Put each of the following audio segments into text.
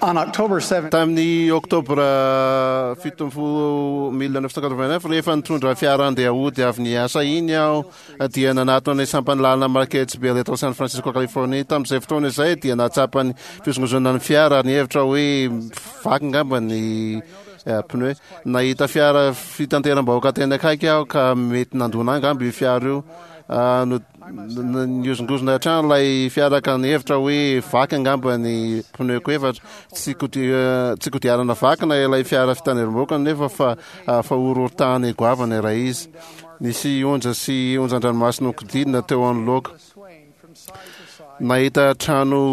On October 7, Tamin'ny Oktobra 17 1989, rehefa nitondra fiara handeha hody avy niasa iny aho, dia nanatona ny sampan'ny lalana Marquette Bell eto San Francisco, Californie. Tamin'izay fotoana izay dia nahatsapa ny fihozongozonana ny fiara ary nihevitra hoe vaky angamba ny pneu. Nahita fiara fitanteram-bahoaka teny akaiky aho ka mety nandona angamba io fiara io. Nihozongozona hatrany ilay fiara ka nihevitra hoe vaky angamba ny pneu-ko efatra. Tsy tsy kodiarana vaky na ilay fiara fitanerim-bahoaka nefa fa fa horohorontany goavana iray izy. Nisy onja sy onjan-dranomasina nokodidina teo anoloako. Nahita trano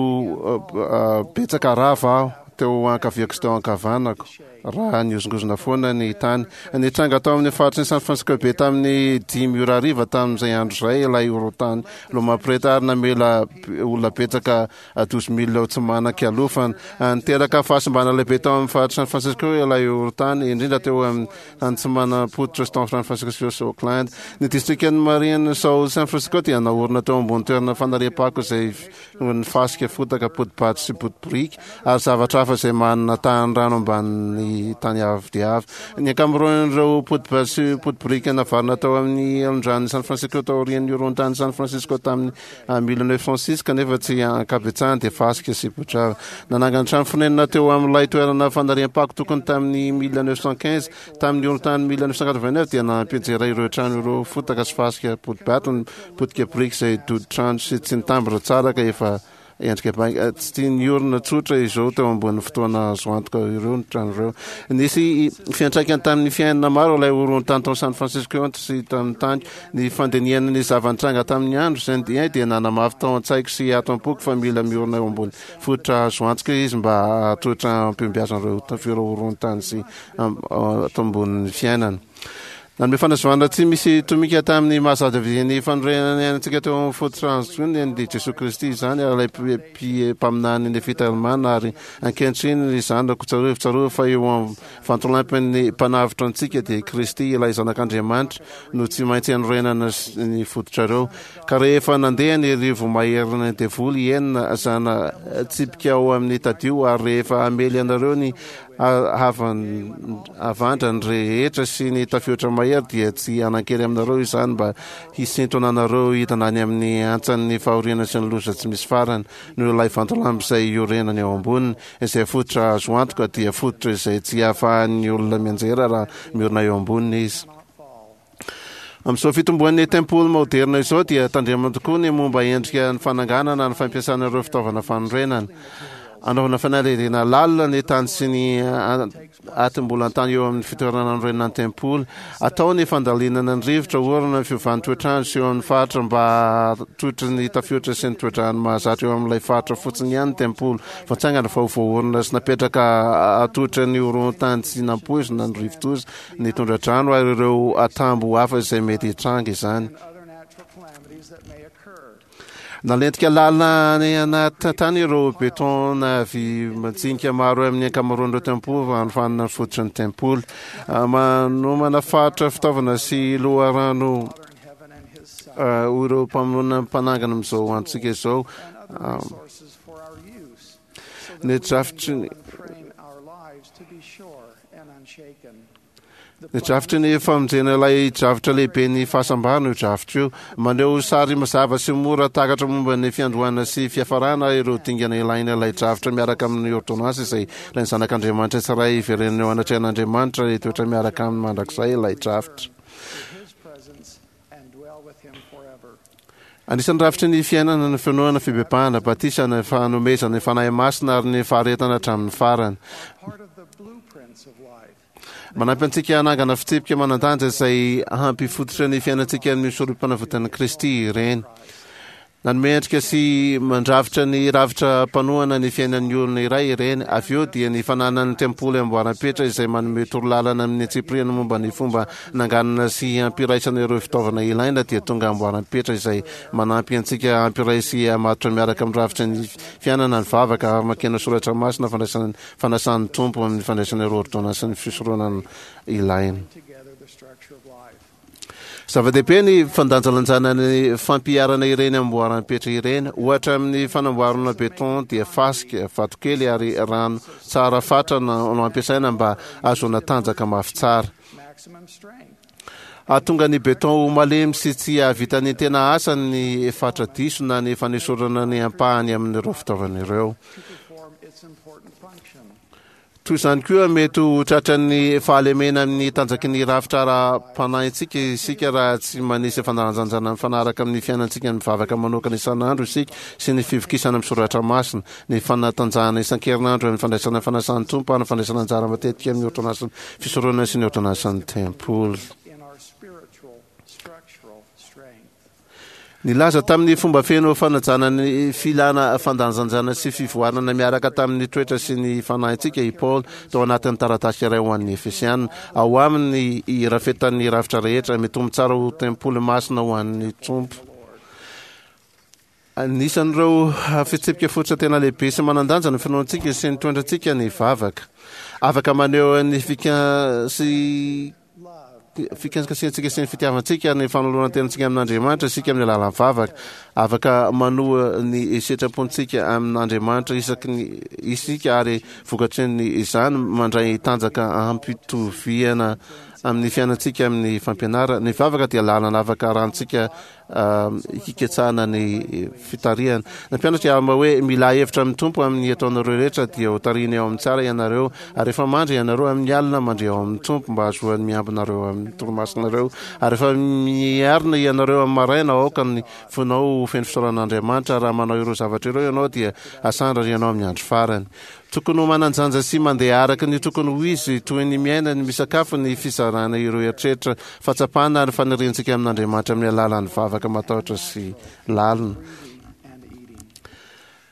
betsaka rava aho teo ankaviako sy teo ankavanako raha nihozongozona foana ny tany. Nitranga tao amin'ny faritry ny San Francisco Bay tamin'ny 5 ora hariva tamin'izay andro izay ilay horohorontany Loma Prieta ary namela olona betsaka 12 mille ho tsy manan-kialofana. Niteraka fahasimbana lehibe tao amin'ny faritry San Francisco ilay horohorontany, indrindra teo amin'ny tany tsy manam-pototra sy tao San Francisco sy Oakland. Ny distrikan'i Marin South San Francisco dia naorina teo ambony toerana fanariam-pako izay ny fasika, fotaka, poti-bato sy poti-biriky ary zavatra hafa izay manana tahan'ny rano ambanin'ny tany avo dia avo. Ny ankamaroan'ireo poti-bato sy poti-biriky navarina tao amin'ny elon-dranon'i San Francisco taorian'ny horohon-tanin'i San Francisco tamin'ny 1906 kanefa tsy ankabetsahany dia fasika sy potrava. Nanangana trano fonenana teo amin'ilay toerana fanariam-pako tokony tamin'ny 1915. Tamin'ny horohon-tany 1989 dia nampianjera ireo trano ireo fotaka sy fasika poti-bato ny potika biriky izay dodi-trano sy tsy nitambatra tsara ka efa endrika bainga. Tsy tia niorina tsotra izao teo ambonin'ny fotoana azo antoka ireo ny trano ireo. Nisy fiantraikany tamin'ny fiainana maro ilay horohon-tany tao San Francisco sy tamin'ny tany. Ny fandinihana ny zava-nitranga tamin'ny andro izay dia dia nanamafy tao an-tsaiko sy ato am-poko fa mila miorina eo ambony fototra azo antoka izy mba hahatohitra ampihombiazan'ireo horohon-tany sy ato ambonin'ny fiainana. Nanome fanazavana tsy misy tomika tamin'ny maha zava-dehibe ny fanorenana ny ainantsika teo amin'ny fototra azo ny Jesoa Kristy izany ary ilay mpaminany Nefita Alemana ary ankehitriny ry zanako tsarovy tsarovy fa eo amin'ny vantolampin'ny mpanavotra antsika dia Kristy ilay zanak'Andriamanitra no tsy maintsy anorenana ny fototrareo ka rehefa nandeha ny rivo-maherin'ny devoly enina zana tsipika ao amin'ny tadio ary rehefa hamely anareo ny Havandra ny rehetra sy ny tafiotra mahery dia tsy hanan-kery aminareo izany mba hisintona anareo hidina any amin'ny hantsan'ny fahoriana sy ny loza tsy misy farany noho ilay vantolampy izay iorenany eo amboniny, izay fototra azo antoka dia fototra izay tsy ahafahan'ny olona mianjera raha miorina eo amboniny izy. Amin'izao fitomboan'ny tempoly maoderina izao dia tandremana tokoa ny momba endrika ny fananganana ny fampiasana ireo fitaovana fanorenana. Anaovana fanadihadiana lalina ny tany sy ny atim-bolan-tany eo amin'ny fitoerana nanorenana ny tempoly. Atao ny fandalinana ny rivotra, orana, ny fiovan'ny toetr'andro sy eo amin'ny faritra mba hahatohitra ny tafiotra sy ny toe-drano mahazatra eo amin'ilay faritra fotsiny ihany ny tempoly voatsangana fa ho voaorina sy napetraka hahatohitra ny horohon-tany tsy nampoizina, ny rivodoza, ny tondra-drano ary ireo atambo hafa izay mety hitranga izany. Nalentika lalina any anaty tany ireo béton na vy majinika maro amin'ny ankamaroan'ireo tempoly raha hanofanana ny fototry ny tempoly. Manomana faritra fitaovana sy loharano ho ireo mpamonona mpanangana amin'izao androntsika izao. Ny drafitry ny Ny drafitry ny famonjena ilay drafitra lehiben'ny fahasambarana io drafitra io. Maneho sary mazava sy mora takatra momba ny fiandohana sy fiafarana ireo dingana ilaina ilay drafitra miaraka amin'ny ôrdônansy izay ilain'ny zanak'Andriamanitra tsirairay hiverenana eo anatrehan'Andriamanitra hitoetra miaraka aminy mandrakizay ilay drafitra. Anisan'ny rafitry ny fiainana ny finoana, fibebahana, batisa, ny fanomezana ny Fanahy Masina ary ny faharetana hatramin'ny farany. Manampy antsika hanangana fitsipika manan-danja izay hampifototra ny fiainantsika amin'ny Sorompanavotan'i Kristy ireny. Nanome endrika sy mandrafitra ny rafitra mpanohana ny fiainan'ny olona iray ireny. Avy eo dia ny fananan'ny tempoly amboaram-petra izay manome torolalana amin'ny antsipiriany momba ny fomba nanganana sy hampiraisana ireo fitaovana ilaina dia tonga amboaram-petra izay manampy antsika hampiray sy hamatotra miaraka amin'ny rafitra ny fiainana, ny vavaka, famakiana soratra masina, fandraisana ny fanasan'ny Tompo amin'ny fandraisana ireo ôrdônansin'ny fisoronana ilaina. Zava-dehibe ny fandanjalanjana ny fampiharana ireny amboaram-petra ireny. Ohatra amin'ny fanamboarana béton dia fasika, vatokely ary rano tsara fatra no ampiasaina mba hahazoana tanjaka mafy tsara. Hahatonga ny béton ho malemy sy tsy hahavita ny tena asany ny fatra diso na ny fanesorana ny ampahany amin'ireo fitaovana ireo. Toy izany koa, mety ho tratran'ny fahalemena amin'ny tanjaky ny rafitra ara-panahintsika isika raha tsy manisy fandanjanjana mifanaraka amin'ny fiainantsika ny mivavaka manokana isan'andro isika sy ny fivokisana amin'ny soratra masina, ny fanatanjahana isan-kerinandro amin'ny fandraisana ny fanasan'ny Tompo ary ny fandraisana anjara matetika amin'ny ôrdônansin'ny fisoronana sy ny ôrdônansin'ny tempoly. Nilaza tamin'ny fomba feno fanajana ny filana fandanjanjana sy fivoarana miaraka tamin'ny toetra sy ny fanahintsika i Paoly tao anatin'ny taratasy iray ho an'ny Efesiana. Ao aminy ny irafetan'ny rafitra rehetra, mitombo tsara ho tempoly masina ho an'ny Tompo. Anisan'ireo fitsipika fototra tena lehibe sy manan-danja ny finoantsika sy ny toetrantsika ny vavaka. Afaka maneho ny fika sy fikasikasihantsika sy ny fitiavantsika ny fanoloran-tenantsika amin'Andriamanitra isika amin'ny alalan'ny vavaka. Afaka manoa ny sitrapontsika amin'Andriamanitra isaky ny isika ary vokatry ny izany mandray tanjaka ampitoviana amin'ny fiainantsika amin'ny fampianarana. Ny vavaka dia lalana afaka arahantsika hiketsahana ny fitarihana. Nampianatra i Alma hoe, Milà hevitra amin'ny Tompo amin'ny ataonareo rehetra, dia ho tarihiny ao amin'ny tsara ianareo. Ary rehefa mandry ianareo amin'ny alina, mandria ao amin'ny Tompo, mba hahazoany miambina anareo amin'ny torimasonareo. Ary rehefa miarina ianareo amin'ny maraina, aoka ny fonao ho feno fisaorana an'Andriamanitra. Raha manao ireo zavatra ireo ianao, dia hasandratra ianao amin'ny andro farany. Tokony ho manan-janja sy mandeha araka ny tokony ho izy, toy ny miaina, ny misakafo, ny fizarana ireo eritreritra, fahatsapana ary faniriantsika amin'Andriamanitra amin'ny alalan'ny vavaka matahotra sy lalina.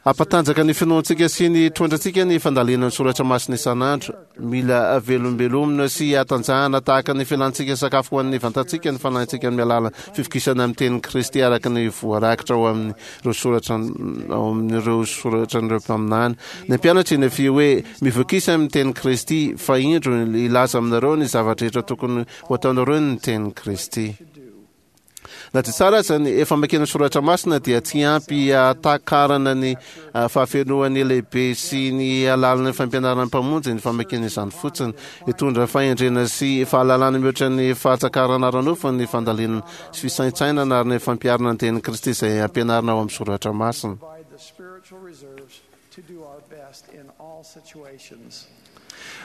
Hampatanjaka ny finoantsika sy ny toetrantsika ny fandalinana ny soratra masina isan'andro. Mila velombelomina sy hatanjahana tahaka ny filantsika sakafo ho an'ny vantantsika ny fanahintsika amin'ny alalan'ny fivokisana amin'ny tenin'i Kristy araka ny voarakitra ao amin'ny ireo soratra ao amin'ireo soratran'ireo mpaminany. Ny mpianatra i Nefia hoe, Mivokisa amin'ny tenin'i Kristy, fa indro hilaza aminareo ny zava-drehetra tokony ho ataonareo ny tenin'i Kristy. Na dia tsara aza ny famakiana ny soratra masina dia tsy ampy hahatakarana ny fahafenoan'ny lehibe sy ny halalin'ny fampianaran'ny Mpamonjy ny famakiana izany fotsiny. Hitondra fahendrena sy fahalalana mihoatra ny fahatsakarana ara-nofo ny fandalinana sy fisaintsainana ary ny fampiharana ny tenin'i Kristy izay ampianarina ao amin'ny soratra masina.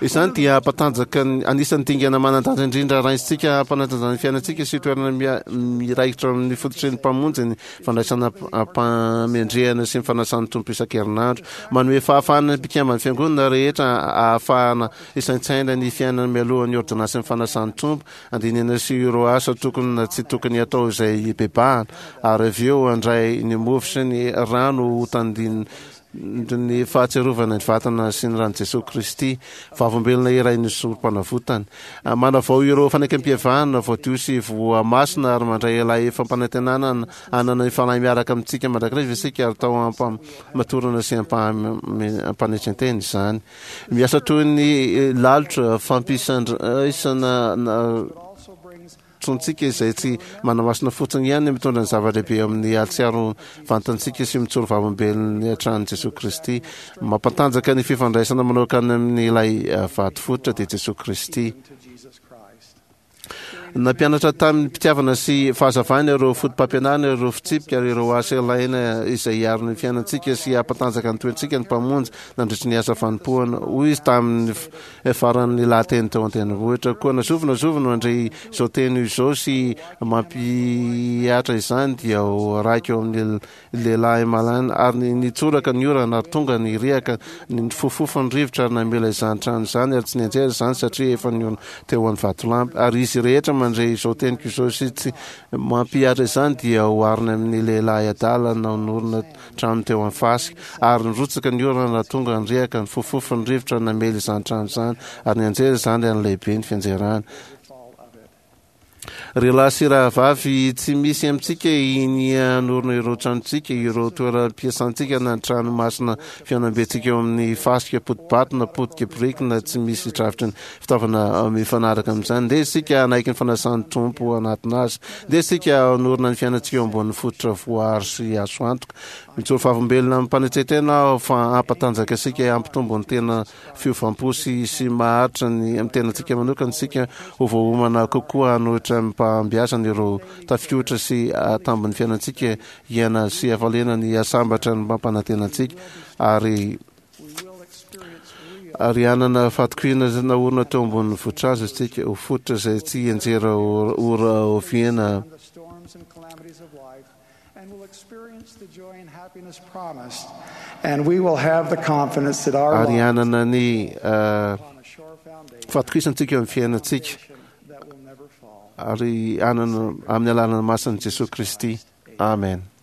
Izany dia hampatanjaka ny anisan'ny dingana manan-danja indrindra raisintsika hampanatanjahana ny fiainantsika sy toerana miraikitra amin'ny fototry ny Mpamonjy ny fandraisana am-pamendrehana sy ny fanasan'ny Tompo isan-kerinandro. Manome fahafahana ny mpikamban'ny Fiangonana rehetra ahafahana hisaintsaina ny fiainana mialohan'ny ôrdônansin'ny fanasan'ny Tompo Andinihana sy ireo asa tokony na tsy tokony hatao izay hibebahana, ary avy eo handray ny mofo sy ny rano ho tandindon'ny fahatsiarovana ny vatana sy ny ran'i Jesoa Kristy, vavolombelona iray ny Sorompanavotany. Manavao ireo fanekempihavanana voadio sy voamasina ary mandray ilay fampanantenana hanana ny Fanahy miaraka amintsika mandrakariva isika ary tao am-pamatorana sy am-panetren-tena izany. Miasa toy ny lalotra fampisandraisana tsontsika izay tsy manamasina fotsiny ihany mitondra ny zava-dehibe eo amin'ny atsiaro vantantsika sy mitsoro vavolombelony hatrany Jesoa Kristy. Mampantanjaka ny fifandraisana manokana amin'ilay vato fototra dia Jesoa Kristy. Nampianatra tamim-pitiavana sy fahazavana ireo fotopampianarana, ireo fitsipika ary ireo asa ilaina izay hiaro ny fiainantsika sy hampatanjaka ny toetsika ny Mpamonjy nandritry ny asa fanompoana. Hoy izy tamin'ny faran'ny lahateny teo an-tendrombohitra, Koa na zovy na zovy no handre izao teny izao sy mampihatra izany dia ho raiko eo amin'ny Lehilahy malaina, ary nitsoraka ny orana, ary tonga ny riaka, nifofofo ny rivotra, ary namela izany trano izany, ary tsy nianjera izany, satria efa niorina teo amin'ny vatolampy. Ary izy rehetra mandre izao teniko izao sy tsy mampihatra izany dia oharina amin'ny lehilahy adala nanorina trano teo amin'ny fasika. Ary nirotsaka ny orana, ary tonga ny riaka, nifofofo ny rivotra, namely izany trano izany, ary nianjera izany, ary lehibe ny fianjerany. Ry lahy sy rahavavy, tsy misy amintsika hinia hanorina ireo tranontsika, ireo toeram-piasantsika na ny trano masina fihaonambentsika eo amin'ny fasika poti-bato na potika biriky na tsy misy drafitry ny fitaovana mifanaraka amin'izany. Ndeha isika hanaiky ny fanasan'ny Tompo hanatona Azy. Ndeha isika hanorina ny fiainantsika eo ambonin'ny fototra voaaro sy azo antoka. Mijoro vavolombelona amim-panetren-tena aho fa hampatanjaka antsika hampitombo ny tena fiovam-po sy sy maharitra ny amin'ny tenantsika manokana isika ho voaomana kokoa hanohitra amim-pahombiazana ireo tafiotra sy tambin'ny fiainantsika hiaina sy hafaliana ny hasambatra ny mampanantena antsika ary ary hanana fahatokiana naorina teo ambonin'ny vohitrazo isika ho fototra izay tsy hianjera ora oviana. Ary hanana ny fahatokisantsika eo amin'ny fiainantsika ary hanana amin'ny alalan'ny masin'i Jesoa Kristy. Amen.